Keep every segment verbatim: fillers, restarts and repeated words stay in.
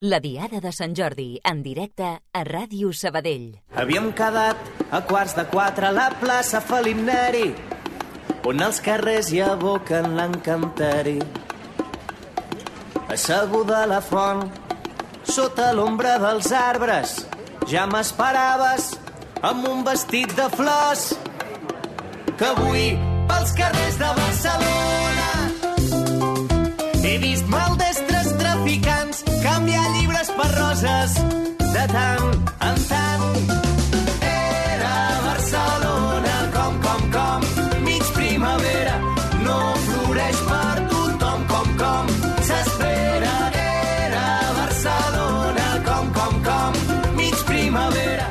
La Diada de Sant Jordi, en directe a Ràdio Sabadell. Havíem quedat a quarts de quatre a la plaça Felip Neri, on els carrers hi aboquen l'encanteri. Asseguda a la font, sota l'ombra dels arbres, ja m'esperaves amb un vestit de flors, que avui pels carrers de Barcelona he vist maldestres traficants canviar llibres per roses de tant en tant. Era Barcelona com, com, com, mig primavera, no floreix per tothom com, com s'espera. Era Barcelona com, com, com, mig primavera.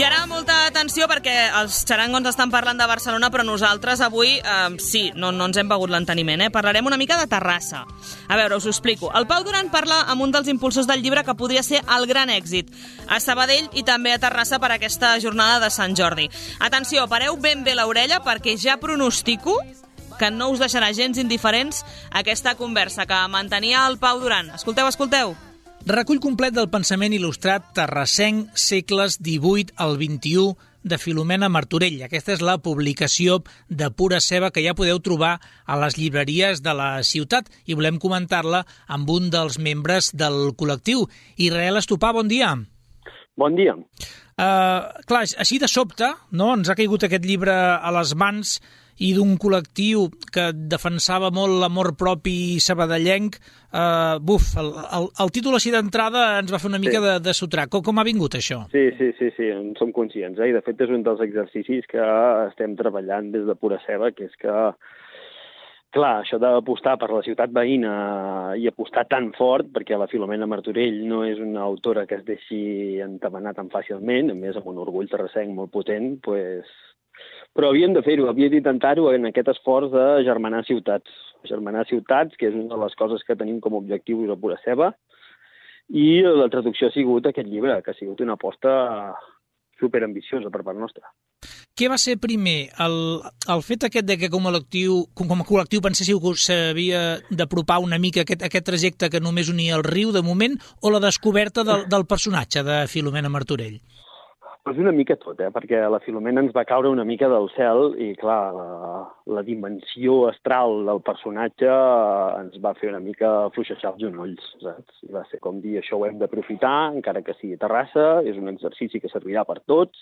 I ara molta atenció perquè els xarangons estan parlant de Barcelona, però nosaltres avui eh, sí, no, no ens hem begut l'enteniment, eh? Parlarem una mica de Terrassa. A veure, us ho explico. El Pau Duran parla amb un dels impulsors del llibre que podria ser el gran èxit a Sabadell i també a Terrassa per aquesta jornada de Sant Jordi. Atenció, pareu ben bé l'orella perquè ja pronostico que no us deixarà gens indiferents aquesta conversa que mantenia el Pau Duran. Escolteu, escolteu. Recull complet del pensament il·lustrat terrassenc segles divuit al vint-i-u de Filomena Martorell. Aquesta és la publicació de pura ceba que ja podeu trobar a les llibreries de la ciutat i volem comentar-la amb un dels membres del col·lectiu. Israel Estopà, bon dia. Bon dia. Uh, clar, així de sobte, no? Ens ha caigut aquest llibre a les mans i d'un col·lectiu que defensava molt l'amor propi sabadellenc. Uh, buf, el, el, el títol així d'entrada ens va fer una mica sí. de, de sotrac. Com, com ha vingut això? Sí, sí, sí, sí, en som conscients. Eh? I de fet és un dels exercicis que estem treballant des de pura ceba, que és que, clar, això d'apostar per la ciutat veïna i apostar tan fort, perquè la Filomena Martorell no és una autora que es deixi entabanar tan fàcilment, a més amb un orgull terrassenc molt potent, pues... però havíem de fer-ho, havíem d'intentar-ho en aquest esforç de germanar ciutats. Germanar ciutats, que és una de les coses que tenim com a objectiu a pura ceba, i la traducció ha sigut aquest llibre, que ha sigut una aposta superambiciosa per part nostra. Què va ser primer? El, el fet aquest de que com a col·lectiu, com a col·lectiu penséssiu que us s'havia d'apropar una mica aquest, aquest trajecte que només unia el riu de moment, o la descoberta del, del personatge de Filomena Martorell? Pues una mica tot, eh? Perquè la Filomena ens va caure una mica del cel i, clar, la, la dimensió astral del personatge ens va fer una mica fluixejar els genolls, saps? I va ser com dir, això ho hem d'aprofitar, encara que sigui Terrassa, és un exercici que servirà per tots,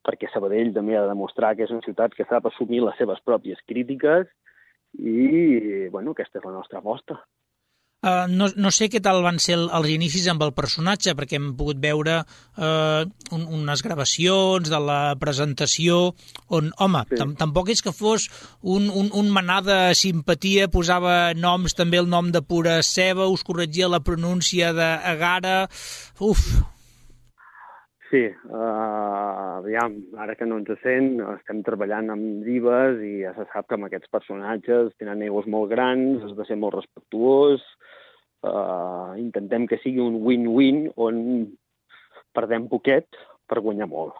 perquè Sabadell també ha de demostrar que és una ciutat que sap assumir les seves pròpies crítiques i, bueno, aquesta és la nostra aposta. Uh, no, no sé què tal van ser els inicis amb el personatge, perquè hem pogut veure uh, un, unes gravacions de la presentació on, home, sí. tam tampoc és que fos un, un, un manar de simpatia, posava noms, també el nom de pura ceba, us corregia la pronúncia d'Agara, uf... Sí, uh, aviam, ara que no ens sent, estem treballant amb divas i ja se sap que amb aquests personatges tenen egos molt grans, has de ser molt respectuós, uh, intentem que sigui un win-win on perdem poquet per guanyar molt.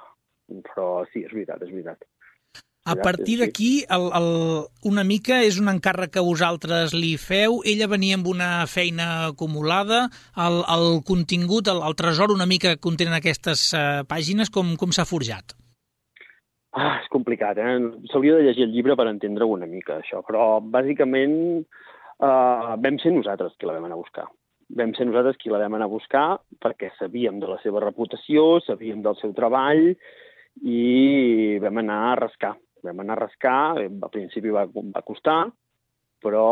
Però sí, és veritat, és veritat. A partir d'aquí, el, el, una mica és un encàrrec que vosaltres li feu. Ella venia amb una feina acumulada. El, el contingut, el, el tresor una mica que contenen aquestes uh, pàgines, com, com s'ha forjat? Ah, és complicat, eh? S'hauria de llegir el llibre per entendre una mica això, però bàsicament uh, vam ser nosaltres qui la vam anar a buscar. Vam ser nosaltres qui la vam anar a buscar perquè sabíem de la seva reputació, sabíem del seu treball i vam anar a rascar. Vam anar a rascar, al principi va, va costar, però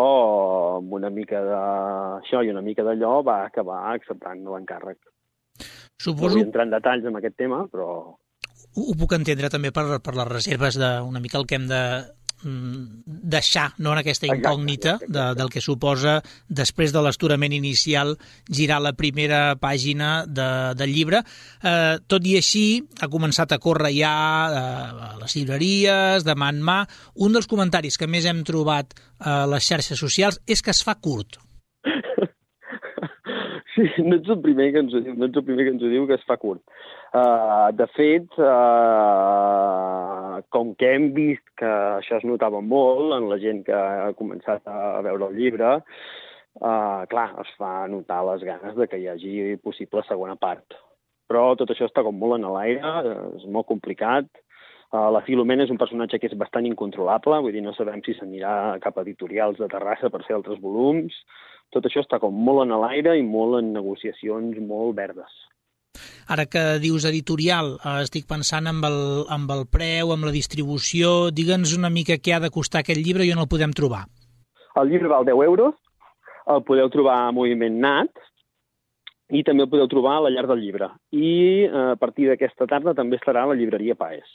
amb una mica d'això i una mica d'allò va acabar acceptant l'encàrrec. Suposo... No vull entrar en detalls amb aquest tema, però... Ho, ho puc entendre també per, per les reserves d'una mica el que hem de deixar, no, en aquesta incògnita exacte, exacte. De, del que suposa després de l'esturament inicial girar la primera pàgina de, del llibre. Eh, tot i així ha començat a córrer ja eh, a les llibreries, de mà en mà. Un dels comentaris que més hem trobat a les xarxes socials és que es fa curt. Sí, no ets el primer que ens ho diu, no ets el primer que ens ho diu que es fa curt. Uh, de fet, uh, com que hem vist que això es notava molt en la gent que ha començat a veure el llibre, uh, clar, es fa notar les ganes de que hi hagi possible segona part. Però tot això està com molt en l'aire, és molt complicat. Uh, la Filomena és un personatge que és bastant incontrolable, vull dir, no sabem si s'anirà cap a editorials de Terrassa per fer altres volums. Tot això està com molt en l'aire i molt en negociacions molt verdes. Ara que dius editorial, eh, estic pensant amb el, amb el preu, amb la distribució. Digue'ns una mica què ha de costar aquest llibre i on el podem trobar. El llibre val deu euros, el podeu trobar a Moviment Nat i també el podeu trobar a la Llar del Llibre. I eh, a partir d'aquesta tarda també estarà a la llibreria Paes.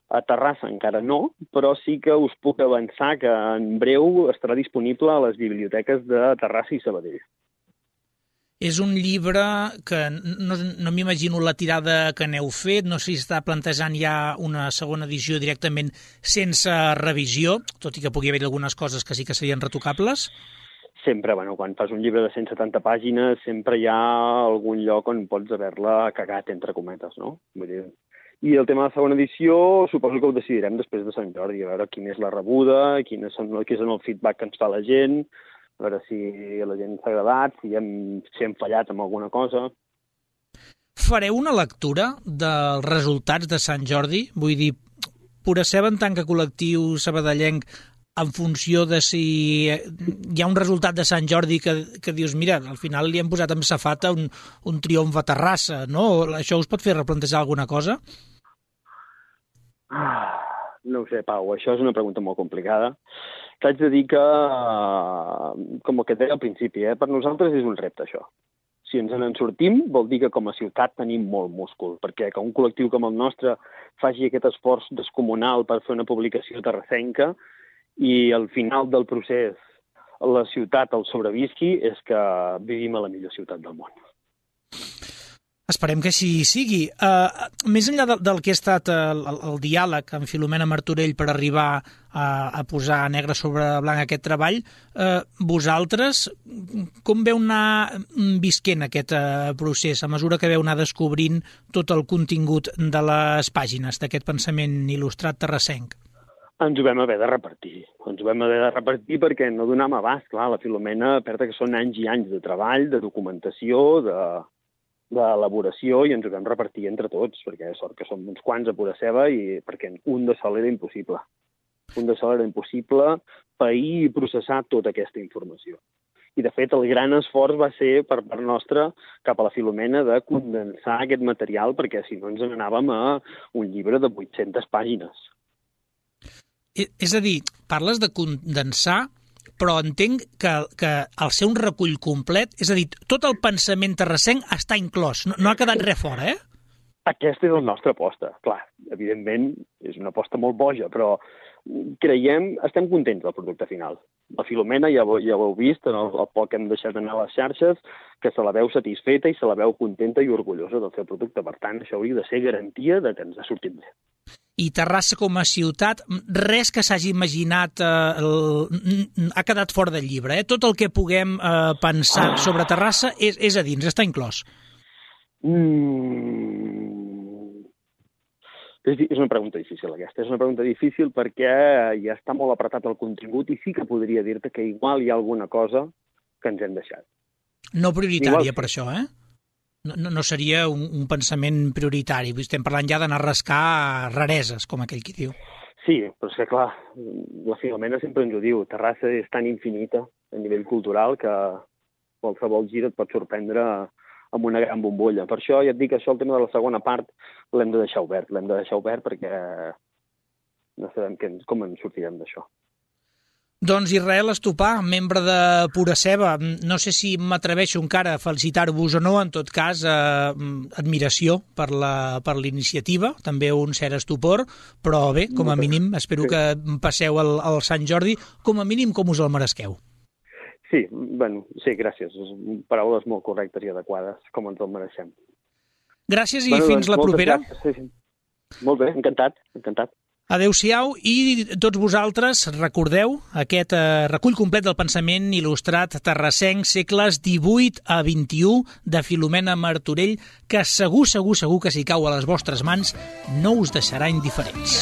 A Terrassa encara no, però sí que us puc avançar que en breu estarà disponible a les biblioteques de Terrassa i Sabadell. És un llibre que no, no m'imagino la tirada que n'heu fet, no sé si està plantejant ja una segona edició directament sense revisió, tot i que pugui haver algunes coses que sí que serien retocables. Sempre, bueno, quan fas un llibre de cent setanta pàgines, sempre hi ha algun lloc on pots haver-la cagat, entre cometes, no? Vull dir... I el tema de la segona edició suposo que ho decidirem després de Sant Jordi, a veure quina és la rebuda, quin és el, quin és el feedback que ens fa la gent, a veure si a la gent s'ha agradat, si hem, si hem fallat amb alguna cosa. Fareu una lectura dels resultats de Sant Jordi? Vull dir, Pura Ceba en tant que col·lectiu sabadellenc, en funció de si hi ha un resultat de Sant Jordi que, que dius, mira, al final li hem posat amb safata un, un triomf a Terrassa, no? Això us pot fer replantejar alguna cosa? Ah, no ho sé, Pau, això és una pregunta molt complicada. T'haig de dir que, com que et deia al principi, eh, per nosaltres és un repte, això. Si ens en sortim, vol dir que com a ciutat tenim molt múscul, perquè que un col·lectiu com el nostre faci aquest esforç descomunal per fer una publicació terrassenca i al final del procés la ciutat el sobrevisqui, és que vivim a la millor ciutat del món. Esperem que així sigui. Uh, més enllà del, del que ha estat el, el, el diàleg amb Filomena Martorell per arribar a, a posar negre sobre blanc aquest treball, uh, vosaltres com veu anar visquent aquest uh, procés a mesura que veu anar descobrint tot el contingut de les pàgines d'aquest pensament il·lustrat terrassenc? Ens ho vam haver de repartir. Ens ho vam haver de repartir perquè no donàvem abast. Clar, la Filomena, a part que són anys i anys de treball, de documentació, de... d'elaboració, i ens ho vam repartir entre tots, perquè sort que som uns quants a Pura Ceba, i perquè un de sol era impossible. Un de sol era impossible pair i processar tota aquesta informació. I, de fet, el gran esforç va ser per part nostra cap a la Filomena de condensar aquest material, perquè si no ens n'anàvem a un llibre de vuit-centes pàgines. És a dir, parles de condensar, però entenc que, que al ser un recull complet, és a dir, tot el pensament terrassenc està inclòs, no, no ha quedat res fora, eh? Aquesta és la nostra aposta. Clar, evidentment, és una aposta molt boja, però creiem, estem contents del producte final. La Filomena, ja, ja ho heu vist, en el, el poc que hem deixat anar a les xarxes, que se la veu satisfeta i se la veu contenta i orgullosa del seu producte. Per tant, això hauria de ser garantia de que ens ha sortit bé. I Terrassa com a ciutat, res que s'hagi imaginat eh, el, ha quedat fora del llibre. Eh? Tot el que puguem eh, pensar ah. sobre Terrassa és, és a dins, està inclòs. Mm. És, és una pregunta difícil, aquesta. És una pregunta difícil perquè ja està molt apretat el contingut i sí que podria dir-te que igual hi ha alguna cosa que ens hem deixat. No prioritària, igual, per això, eh? No, no seria un, un pensament prioritari. Estem parlant ja d'anar a rascar rareses, com aquell qui diu. Sí, però és que, clar, la Filomena sempre ens ho diu. Terrassa és tan infinita a nivell cultural que qualsevol gir et pot sorprendre amb una gran bombolla. Per això ja et dic que això, el tema de la segona part, l'hem de deixar obert. L'hem de deixar obert perquè no sabem que, com ens sortirem d'això. Doncs Israel Estopà, membre de Pura Ceba, no sé si m'atreveixo encara a felicitar-vos o no, en tot cas, eh, admiració per la, per l'iniciativa, també un cert estupor, però bé, com a mínim, espero que passeu el, el Sant Jordi, com a mínim com us el meresqueu. Sí, bueno, sí, gràcies. Paraules molt correctes i adequades, com ens el mereixem. Gràcies i bueno, fins doncs, la propera. Sí, sí. Molt bé, encantat, encantat. Adéu-siau i tots vosaltres recordeu aquest eh, recull complet del pensament il·lustrat terrassenc segles divuit a vint-i-u de Filomena Martorell que segur, segur, segur que si cau a les vostres mans no us deixarà indiferents.